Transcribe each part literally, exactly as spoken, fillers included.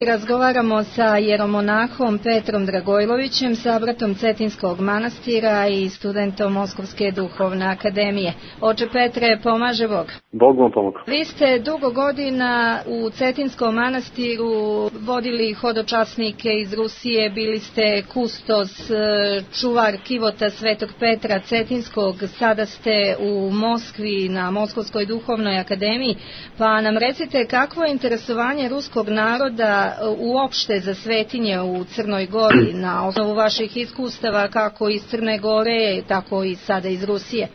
Razgovaramo sa jeromonahom Petrom Dragojlovićem, sabratom Cetinskog manastira i studentom Moskovske duhovne akademije. Oče Petre, pomaže Bog. Bog vam pomoga. Vi ste dugo godina u Cetinskom manastiru vodili hodočasnike iz Rusije, bili ste kustos, čuvar kivota Svetog Petra Cetinskog, sada ste u Moskvi na Moskovskoj duhovnoj akademiji, pa nam recite kakvo je interesovanje ruskog naroda uopšte za svetinje u Crnoj Gori na osnovu vaših iskustava kako iz Crne Gore, tako i sada iz Rusije?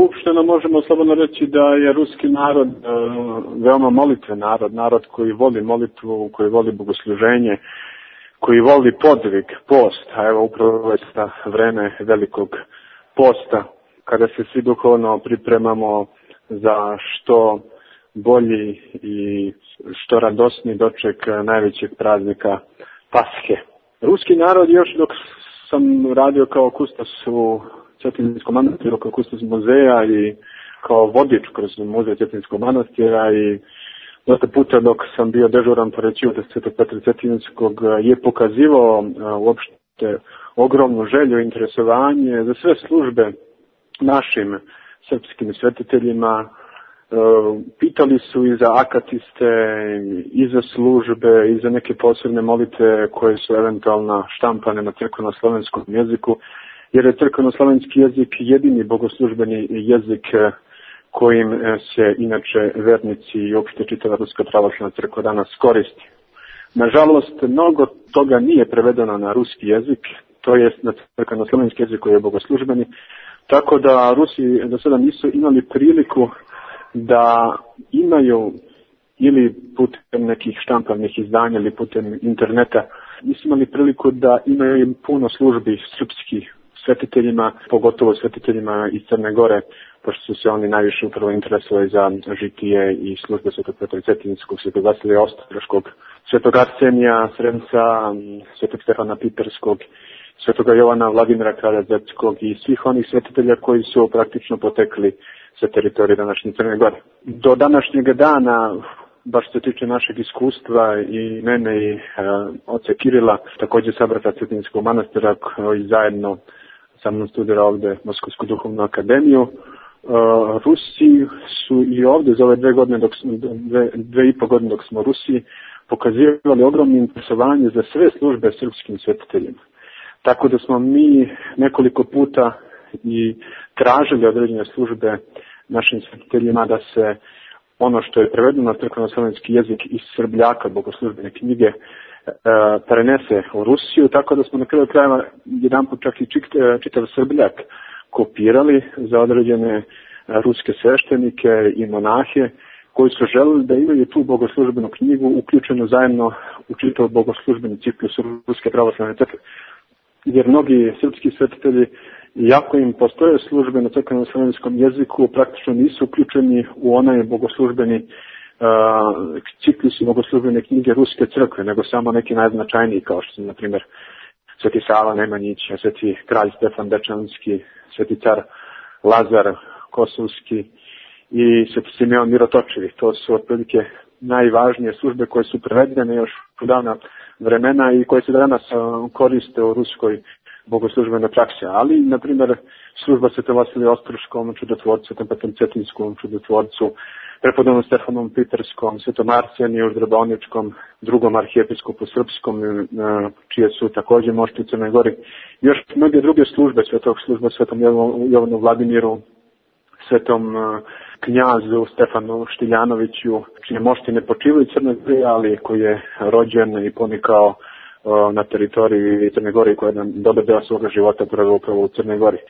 Uopšteno možemo slobodno reći da je ruski narod veoma molitven narod, narod koji voli molitvu, koji voli bogosluženje, koji voli podvig, post, a evo upravo je sa vreme velikog posta, kada se svi duhovno pripremamo za što bolji i što radosni doček najvećeg praznika Pashe. Ruski narod, još dok sam radio kao kustos u Cetinskom manastiru, kao kustos muzeja i kao vodič kroz muzej Cetinskog manastira i dosta puta dok sam bio dežuran pored kivota Svetog Petra Cetinskog, je pokazivao uopšte ogromnu želju i interesovanje za sve službe našim srpskim svetiteljima. Pitali su i za akatiste, i za službe, i za neke posebne molitve koje su eventualno štampane na crkveno-slovenskom jeziku, jer je crkveno-slovenski jezik jedini bogoslužbeni jezik kojim se inače vernici i uopšte čitava Ruska pravoslavna crkva danas koristi. Nažalost, mnogo toga nije prevedeno na ruski jezik, to jest na crkveno-slovenski jezik koji je bogoslužbeni, tako da Rusi do sada nisu imali priliku da imaju ili putem nekih štampavnih izdanja ili putem interneta, nisu imali priliku da imaju puno službi srpskih svetiteljima, pogotovo svetiteljima iz Crne Gore, pošto su se oni najviše upravo interesovali za žitije i službe Svetog Petra Cetinskog, Svetog Vasilija Ostroškog, Svetog Arsenija Sremca, Svetog Stefana Piperskog, Svetoga Jovana Vladimira Karazetskog i svih onih svetitelja koji su praktično potekli sa teritorije današnje Crne Gore. Do današnjeg dana, baš se tiče našeg iskustva i mene i e, oca Kirila, također sabrata Cetinskog manastira koji zajedno sa mnom studira ovde Moskovsku duhovnu akademiju, e, Rusi su i ovde za ove dve godine, dok, dve, dve i po godine dok smo u Rusiji, pokazivali ogromno interesovanje za sve službe srpskim svetiteljima. Tako da smo mi nekoliko puta i tražili određene službe našim svetiteljima da se ono što je prevedeno na crkveno-slovenski jezik iz Srbljaka, bogoslužbene knjige, e, prenese u Rusiju, tako da smo na kraju krajeva jedan put čak i čitav Srbljak kopirali za određene ruske sveštenike i monahe koji su želeli da imaju tu bogoslužbenu knjigu uključenu zajedno u čitav bogoslužbeni ciklus Ruske pravoslavne crkve. Jer mnogi srpski svetitelji, iako im postoje službe na crkveno-slovenskom jeziku, praktično nisu uključeni u onaj bogoslužbeni uh, ciklus bogoslužbene knjige Ruske crkve, nego samo neki najznačajniji, kao što su, na primjer, Sveti Sava Nemanjić, Sveti kralj Stefan Dečanski, Sveti car Lazar Kosovski i Sveti Simeon Mirotočevi. To su otprilike najvažnije službe koje su prevedene još u davna vremena i koje se danas koriste u ruskoj bogoslužbenoj praksi. Ali, na primjer, služba Svetom Vasiliju Ostroškom čudotvorcu, Svetom Petru Cetinskom čudotvorcu, prepodobnom Stefanom Piperskom, Svetom Arseniju Zdroboničkom, drugom arhijepiskopu srpskom, čije su također mošti u Crnoj Gori. Još mnoge druge službe, svetog služba Svetom Jovanu Vladimiru, Svetom knjazu Stefanu Štiljanoviću, čije mošti ne počivaju u Crnoj Gori, ali koji je rođen i ponikao na teritoriji Crne Gore i koji je jedan dobar deo svoga života proveo upravo u Crnoj Gori. E,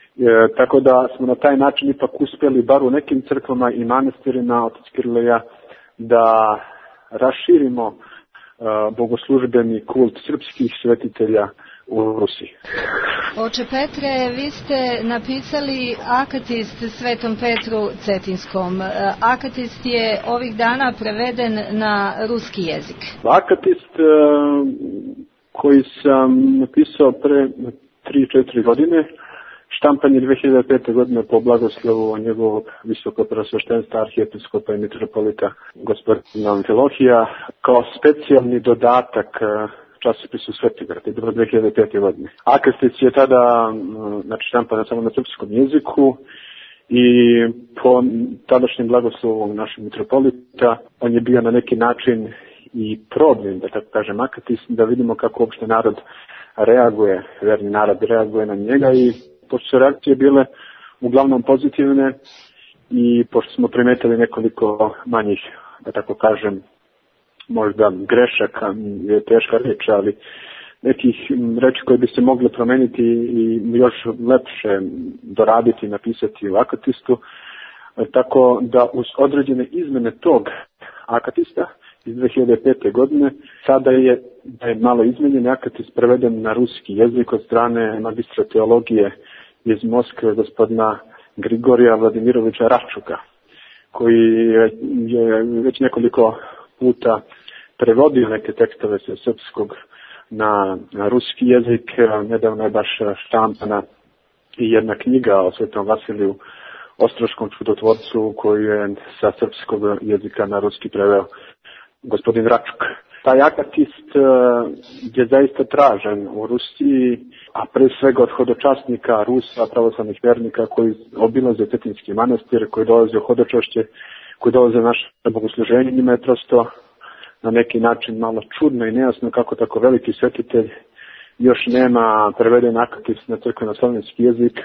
tako da smo na taj način ipak uspjeli, bar u nekim crkvama i manastirima, otac Kiril i ja, da raširimo e, bogoslužbeni kult srpskih svetitelja u Rusiji. Oče Petre, vi ste napisali Akatist Svetom Petru Cetinskom. Akatist je ovih dana preveden na ruski jezik. Akatist e, koji sam napisao pre tri četiri godine Štampan je dve hiljade pete. godine po blagoslovu njegovog visokopreosveštenstva arhijepiskopa i mitropolita gospodina Amfilohija kao specijalni dodatak časopisu Svetigrad. Je bilo dve hiljade pete. godine. Akastis je tada znači, štampan samo na srpskom jeziku i po tadašnjem blagoslovu našeg mitropolita on je bio na neki način i problem, da tako kažem, Akatis, da vidimo kako uopšte narod reaguje, verni narod reaguje na njega i pošto su reakcije bile uglavnom pozitivne i pošto smo primetili nekoliko manjih, da tako kažem, možda grešaka, je teška reč, ali nekih reči koje bi se mogle promeniti i još lepše doraditi, napisati u Akatistu, tako da uz određene izmene tog Akatista iz dve hiljade pete. godine sada je, da je malo izmenjen Akatis preveden na ruski jezik od strane magistra teologije iz Moskve gospodina Grigorija Vladimirovića Račuka, koji je već nekoliko puta prevodio neke tekstove sa srpskog na, na ruski jezik. Nedavno je baš štampana i jedna knjiga o Svetom Vasiliju Ostroškom čudotvorcu koju je sa srpskog jezika na ruski preveo gospodin Račuk. Taj akatist je zaista tražen u Rusiji, a pre svega od hodočasnika Rusa, pravoslavnih vernika koji obilaze Cetinjski manastir, koji dolaze u hodočašće, koji dolaze u naše bogosluženje. Njima je prosto na neki način malo čudno i nejasno kako tako veliki svetitelj još nema preveden akatist na crkveno-slavenski jezik,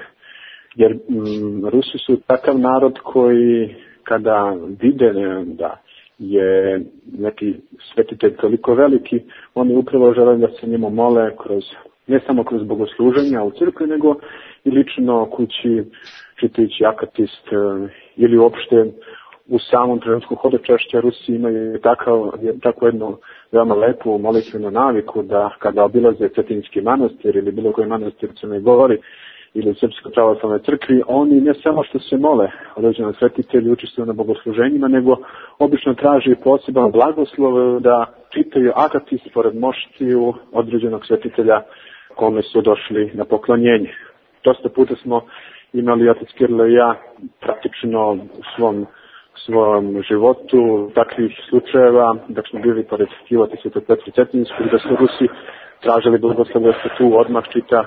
jer mm, Rusi su takav narod koji kada vide da je neki svetitelj toliko veliki, oni upravo žele da se njemu mole kroz, ne samo kroz bogosluženja u crkvi, nego i lično kući čitajući akatist ili uopšte u samom trenutku hodočašća. Rusi imaju takav, tako jednu veoma lepu molitvenu naviku da kada obilaze Cetinjski manastir ili bilo koji manastir u Crnoj Gori ili u Srpskoj pravoslavnoj crkvi, oni ne samo što se mole određenom svetitelju, učestvuju na bogosluženjima, nego obično traži poseban blagoslov da čitaju akatist pored moštiju određenog svetitelja kome su došli na poklonjenje. Dosta puta smo imali, otac Kirilo i ja, praktično u svom svom životu takvih slučajeva, dok smo bili pored Kivota Svetog Petra Cetinjskog, da su Rusi tražili blagoslov da se tu odmah čita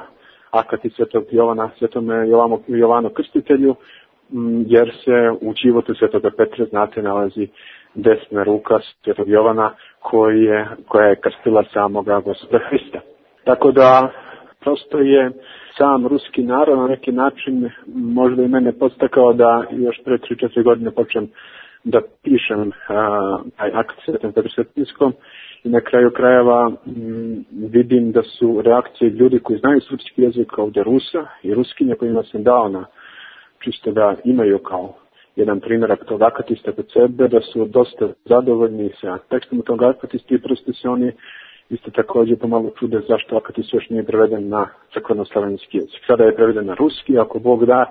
akatist Svetog Jovana, Svetom Jovanu, Jovanu Krstitelju, jer se u Kivotu Svetoga Petra, znate, nalazi desna ruka Svetog Jovana koji je, koja je krstila samoga Gospoda Hrista. Tako da prosto je sam ruski narod na neki način možda i mene podstakao da još pre tri četiri godine počnem da pišem taj akt Svetom Petru Cetinjskom i na kraju krajeva m, vidim da su reakcije ljudi koji znaju srpski jezik ovdje Rusa i Ruskinja kojima sam dao na čisto da imaju kao jedan primjerak tog akatista kod sebe, da su dosta zadovoljni sa tekstom tog akatista i prosto se oni isto također pomalo čude zašto akatist još nije preveden na crkveno-slavenski jezik. Sada je preveden na ruski, ako Bog da,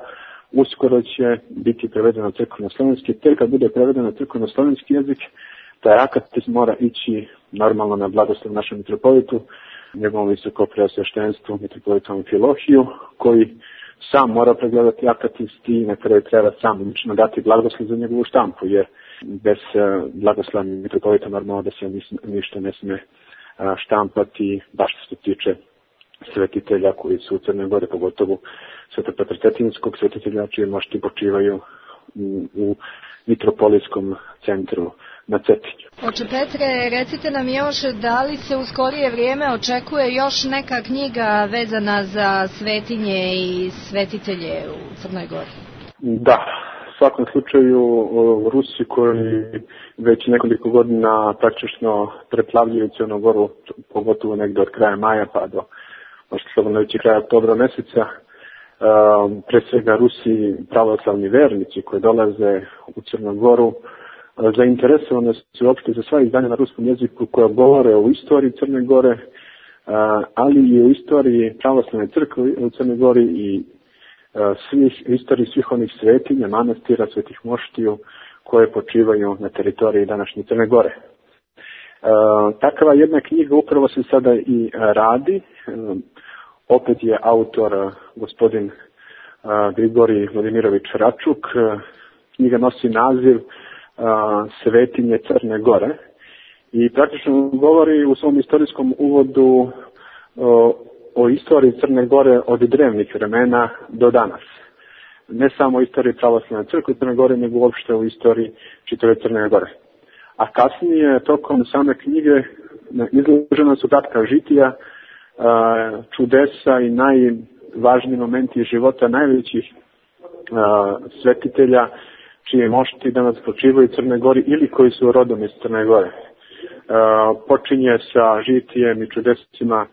uskoro će biti preveden na crkveno-slavenski. Te kad bude preveden na crkveno-slavenski jezik, taj akatist mora ići normalno na blagoslov našem mitropolitu, njegovom visokopreosveštenstvu, mitropolitu Amfilohiju, koji sam mora pregledati akatist i na kraju treba sam lično dati blagoslov za njegovu štampu, jer bez blagoslova mitropolita normalno da se ništa ne smije štampati, baš što se tiče svetitelja koji su u Crnoj Gori, pogotovo Svetog Petra Cetinjskog, svetitelja čije mošti počivaju u, u mitropolijskom centru na Cetinju. Oče Petre, recite nam još da li se u skorije vrijeme očekuje još neka knjiga vezana za svetinje i svetitelje u Crnoj Gori? Da. U svakom slučaju Rusi koji već nekoliko godina praktično preplavljuju Crnu Goru, pogotovo negdje od kraja maja pa do možda slobodno reći kraja oktobra mjeseca, pre svega Rusi pravoslavni vernici koji dolaze u Crnu Goru, zainteresovani su uopšte za sva izdanja na ruskom jeziku koja govore o istoriji Crne Gore, ali i o istoriji pravoslavne crkve u Crnoj Gori i svih, istoriji svih onih svetinja, manastira, svetih moštiju koje počivaju na teritoriji današnje Crne Gore. E, takva jedna knjiga upravo se sada i radi. E, opet je autor gospodin Grigorij Vladimirović Račuk. Knjiga nosi naziv Svetinje Crne Gore i praktično govori u svom istorijskom uvodu o, o istoriji Crne Gore od drevnih vremena do danas. Ne samo o istoriji pravoslavne crkve Crne Gore, nego uopšte u istoriji čitave Crne Gore. A kasnije, tokom same knjige, izložena su kratka žitija, čudesa i najvažniji momenti života najvećih svetitelja čije mošti danas počivaju u Crnoj Gori ili koji su rodom iz Crne Gore. Počinje sa žitijem i čudesima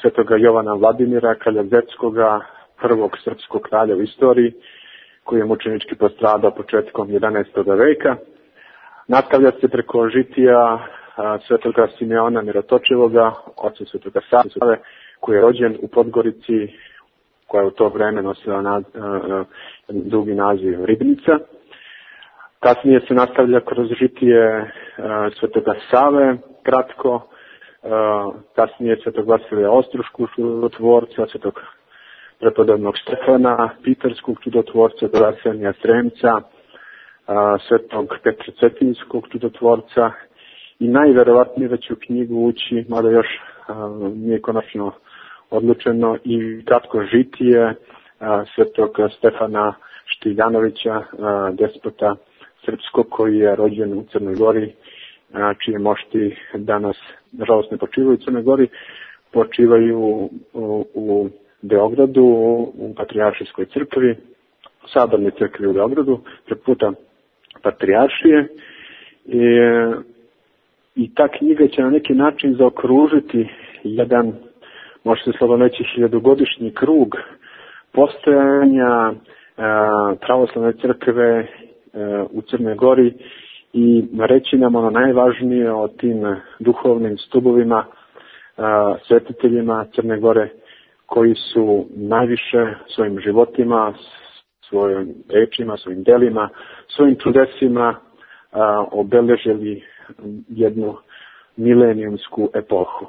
svetoga Jovana Vladimira, kralja Zetskoga, prvog srpskog kralja u istoriji, koji je mučenički postradao početkom jedanaestog veka. Nastavlja se preko žitija svetoga Simeona Mirotočivoga, oca svetoga Save, koji je rođen u Podgorici, koja je u to vreme nosila na, uh, drugi naziv Ribnica. Kasnije se nastavlja kroz žitije uh, svetoga Save, kratko, uh, kasnije svetog Vasilija Ostruškog čudotvorca, svetog prepodobnog Stefana, Piterskog čudotvorca, Arsenija Sremca, uh, svetog Petra Cetinskog čudotvorca i najverovatnije da će u knjigu ući, mada još uh, nije konačno odlučeno, i kratko žitije a, svetog Stefana Štiljanovića, a, despota srpskog koji je rođen u Crnoj Gori, a, čije mošti danas nažalost ne počivaju u Crnoj Gori, počivaju u, u, u Beogradu, u Patrijaršijskoj crkvi, u Sabornoj crkvi u Beogradu, preko puta Patrijaršije. I, I ta knjiga će na neki način zaokružiti jedan, može se slobodno reći, hiljadugodišnji krug postojanja e, pravoslavne crkve e, u Crnoj Gori i reći nam ono najvažnije o tim duhovnim stubovima, e, svetiteljima Crne Gore, koji su najviše svojim životima, svojim rečima, svojim delima, svojim čudesima e, obeležili jednu milenijumsku epohu.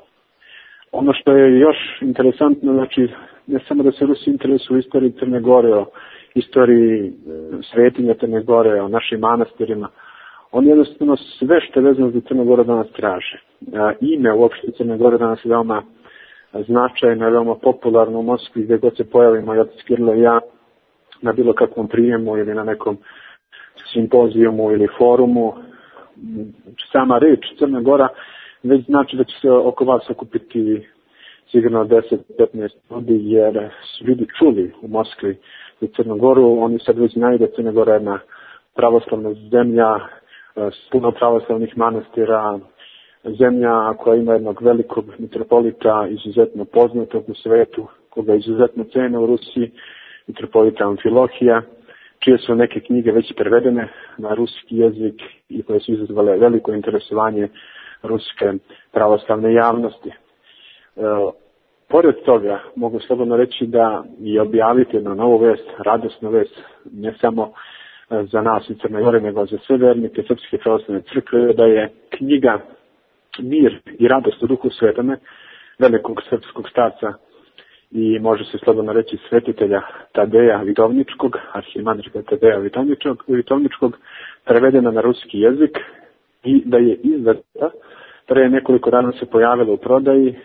Ono što je još interesantno, znači, ne samo da se Rusi interesuju u istoriji Crne Gore, o istoriji svetinja Crne Gore, o našim manastirima, oni jednostavno sve što je vezano za Crnu Goru danas traže. Ime uopšte Crne Gore danas je veoma značajno, veoma popularno u Moskvi, gdje god se pojavimo, ja Kirilo i ja, na bilo kakvom prijemu ili na nekom simpozijumu ili forumu. Sama reč Crna Gora već znači da će se oko vas okupiti sigurno deset do petnaest ljudi, jer su ljudi čuli u Moskvi u Crnu Goru. Oni sad već znaju da Crna Gora je jedna pravoslavna zemlja s puno pravoslavnih manastira, zemlja koja ima jednog velikog mitropolita, izuzetno poznatog u svetu, koga izuzetno cene u Rusiji, mitropolita Amfilohija, čije su neke knjige već prevedene na ruski jezik i koje su izazvale veliko interesovanje ruske pravoslavne javnosti. E, pored toga, mogu slobodno reći da i objaviti jednu novu vest, radosnu vest, ne samo za nas u Crnoj Gori, nego za sve vernike Srpske pravoslavne crkve, da je knjiga Mir i radost u duhu svetome, velikog srpskog starca i može se slobodno reći svetitelja Tadeja Vitovničkog, arhimandrita Tadeja Vitovničkog, prevedena na ruski jezik i da je izdata, pre nekoliko dana se pojavila u prodaji.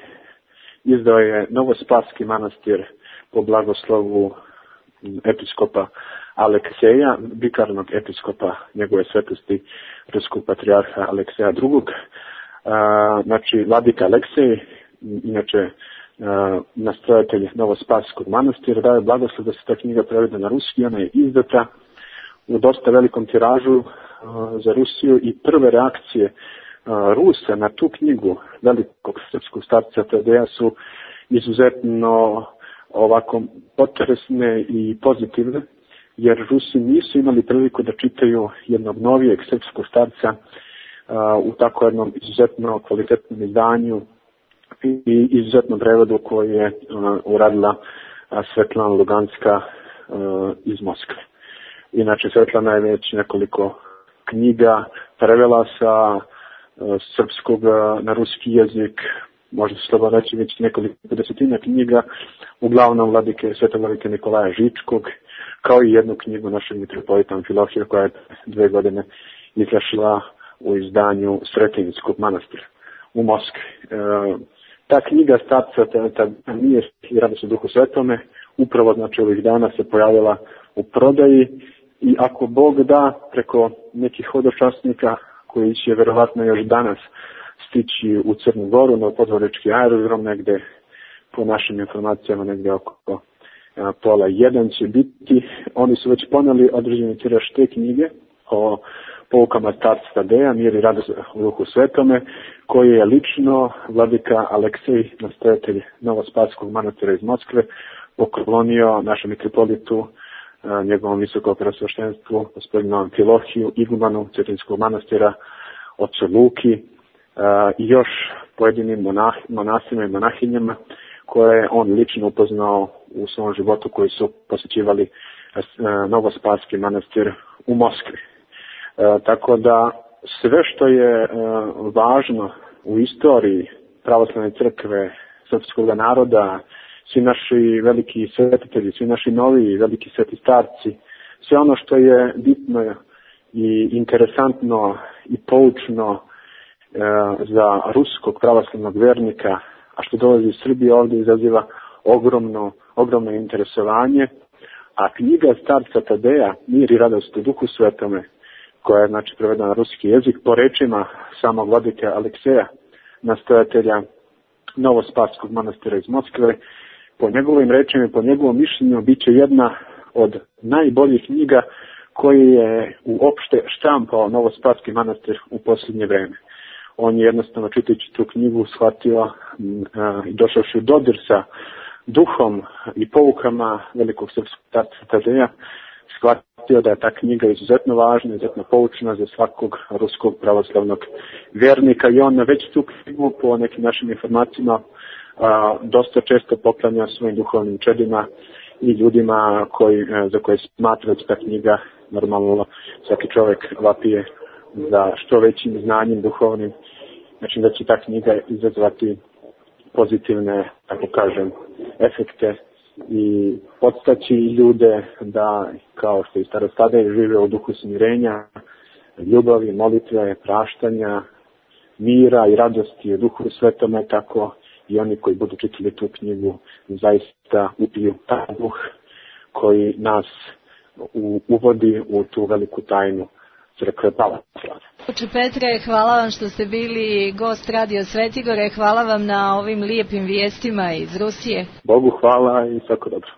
Izdao je Novospaski manastir po blagoslovu episkopa Alekseja, vikarnog episkopa njegove svetosti ruskog patrijarha Alekseja drugog. Znači, vladika Aleksej, inače nastrojatelj Novospaskog manastira, daje blagoslov da se ta knjiga prevede na ruski. Ona je izdata u dosta velikom tiražu za Rusiju i prve reakcije Rusa na tu knjigu velikog srpskog starca Tadeja su izuzetno ovako potresne i pozitivne, jer Rusi nisu imali priliku da čitaju jednog novijeg srpskog starca u tako jednom izuzetno kvalitetnom izdanju i izuzetnom prevodu koji je uradila Svetlana Luganska iz Moskve. Inače, Svetlana je već nekoliko knjiga prevela sa srpskog na ruski jezik, možda se slobodno reći već nekoliko desetina knjiga, uglavnom vladike, svetovladike Nikolaja Žičkog, kao i jednu knjigu našeg mitropolita Amfilohija koja je dve godine izašla u izdanju Sretenjskog manastira u Moskvi. E, ta knjiga Starca Mir i Radost u Duhu Svetome upravo znači ovih dana se pojavila u prodaji i ako Bog da preko nekih hodočasnika koji će verovatno još danas stići u Crnu Goru na podvorečki aerodrom negde po našim informacijama negde oko a, pola jedan će biti. Oni su već poneli određeni tiraž te knjige o poukama starca Tadeja, Mir i Radost u Duhu Svetome, koji je lično vladika Aleksej, nastojatelj Novospaskog manastira iz Moskve, poklonio našem mitropolitu, njegovom visokom preosveštenstvu, gospodinu Amfilohiju, igumanu Cetinskog manastira, ocu Luki i još pojedinim monah, monasima i monahinjama koje je on lično upoznao u svom životu koji su posjećivali Novospaski manastir u Moskvi. E, tako da sve što je e, važno u istoriji pravoslavne crkve, srpskog naroda, svi naši veliki svetitelji, svi naši novi veliki sveti starci, sve ono što je bitno i interesantno i poučno e, za ruskog pravoslavnog vernika, a što dolazi iz Srbije ovdje izaziva ogromno, ogromno interesovanje, a knjiga starca Tadeja, Mir i Radost u Duhu Svetome, koja je znači prevedena na ruski jezik, po rečima samog vladike Alekseja, nastojatelja Novospaskog manastira iz Moskve, po njegovim rečima i po njegovom mišljenju bit će jedna od najboljih knjiga koji je uopšte štampao Novospaski manastir u posljednje vreme. On je jednostavno čitajući tu knjigu shvatio i došavši u dodir sa duhom i poukama velikog srpskog starca Tadeja, shvatio da je ta knjiga izuzetno važna, izuzetno poučna za svakog ruskog pravoslavnog vjernika i on već tu knjigu po nekim našim informacijama a, dosta često poklanja svojim duhovnim čedima i ljudima koji, za koje smatra da ta knjiga, normalno svaki čovjek vapije za što većim znanjem duhovnim, znači da će ta knjiga izazvati pozitivne, tako kažem, efekte i podstaći ljude da, kao što i starostade, žive u duhu smirenja, ljubavi, molitve, praštanja, mira i radosti u Duhu Svetome, tako i oni koji budu čitali tu knjigu zaista upiju taj duh koji nas u, uvodi u tu veliku tajnu crkve pravoslavne. Oče Petre, hvala vam što ste bili gost Radio Svetigore, hvala vam na ovim lijepim vijestima iz Rusije. Bogu hvala i svako dobro.